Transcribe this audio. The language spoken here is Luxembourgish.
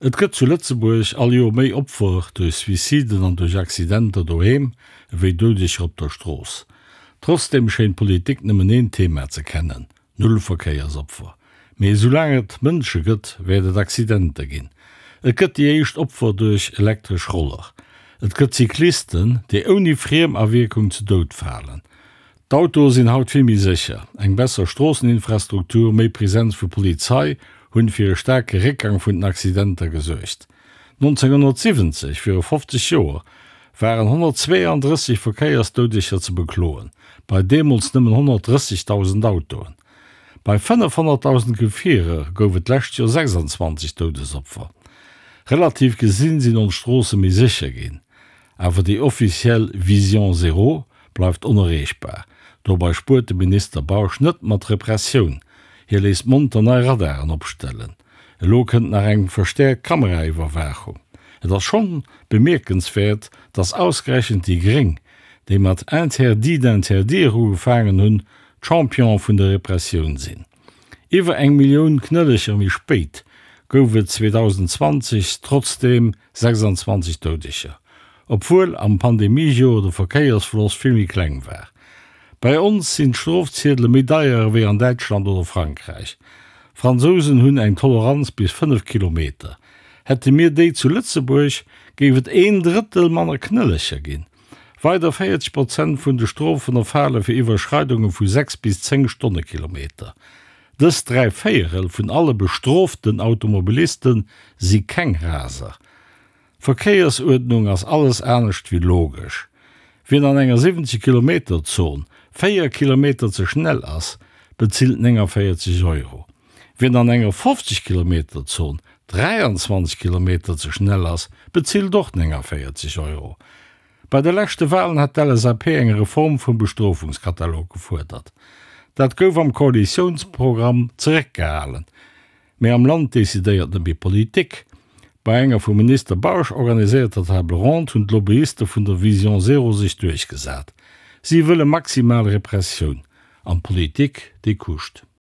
Et gëtt zu Lëtzebuerg all Joer méi Opfer duerch Suiciden an duerch Accidenter doheem ewéi Doudeger op der Strooss. Trotzdeem schéint d'Politik nëmmen een Thema ze kennen, Null Verkéiersopfer. Mee esoulaang et Mënsche gëtt, wäert et Accidenter ginn. Et gëtt déi éischt Opfer duerch elektresch Roller. Et gëtt Cyclisten, déi ouni Friemawierkung ze Doud falen. D'Autoe sinn haut vill méi sécher. Eng besser Stroosseninfrastruktur, méi Presenz vu Polizei hunn fir e staarke Réckgang vun den Accidenter gesuergt. 1970, viru 50 Joer, waren 132 Verkéiersdoudeger ze bekloen, bei deemools nëmmen 130.000 Autoen. Bei 500.000 Gefierer gouf et d'lescht Joer 26 Doudesopfer. Relativ gesinn sinn ons Stroosse méi sécher ginn. Awer déi offiziell Vision Zéro bleift onerreechbar. Dobei spuert de Minister Bausch net mat Repressioun, hie léisst monter nei Radaren opstellen. Elo kënnt nach eng verstäerkt Kameraiwwerwaachung. Et ass schonn bemierkenswäert, datt ausgerechent déi Gréng, déi mat Interdit d'interdire ugefaangen hunn, d'Champion vun der Repressioun sinn. Iwwer eng Millioun Knëllecher méi spéit gouf et 2020 trotzdeem 26 Doudeger, obwuel am Pandemiejoer de Verkéiersfloss vill méi kleng war. Bei ons sinn d'Strofziedele méi deier ewéi an Däitschland oder Frankräich. D'Fransousen hunn eng Toleranz bis 5 Kilometer. Hätte mir déi zu Lëtzebuerg, géif et een Drëttel manner Knëllecher ginn. Weider 40 Prozent vun de Strofen erfale fir Iwwerschreidunge vu 6 bis 10 Stonnekilometer. Dës 3 Véierel vun alle bestrooften Automobiliste si keng Raser. D'Verkéiersuerdnung ass alles anescht wéi logesch. Wien an enger 70 Kilometer Zon 4 Kilometer ze schnell ass, bezilt 49 Euro. Wien an enger 50 Kilometer Zon 23 Kilometer ze schnell ass, bezilt och 49 Euro. Bei de leschte Walen hat d'LSAP eng Reform vum Bestrofungskatalog gefuerdert. Dat gouf am Koalitiounsprogramm zeréckgehalen. Mee am Land decidéiert net méi d'Politik. Bei enger vum Minister Bausch organiséierter Table ronde hunn d'Lobbyiste vun der Vision Zéro sech duerchgesat. Si wëlle maximal Repressioun. An d'Politik, déi kuscht.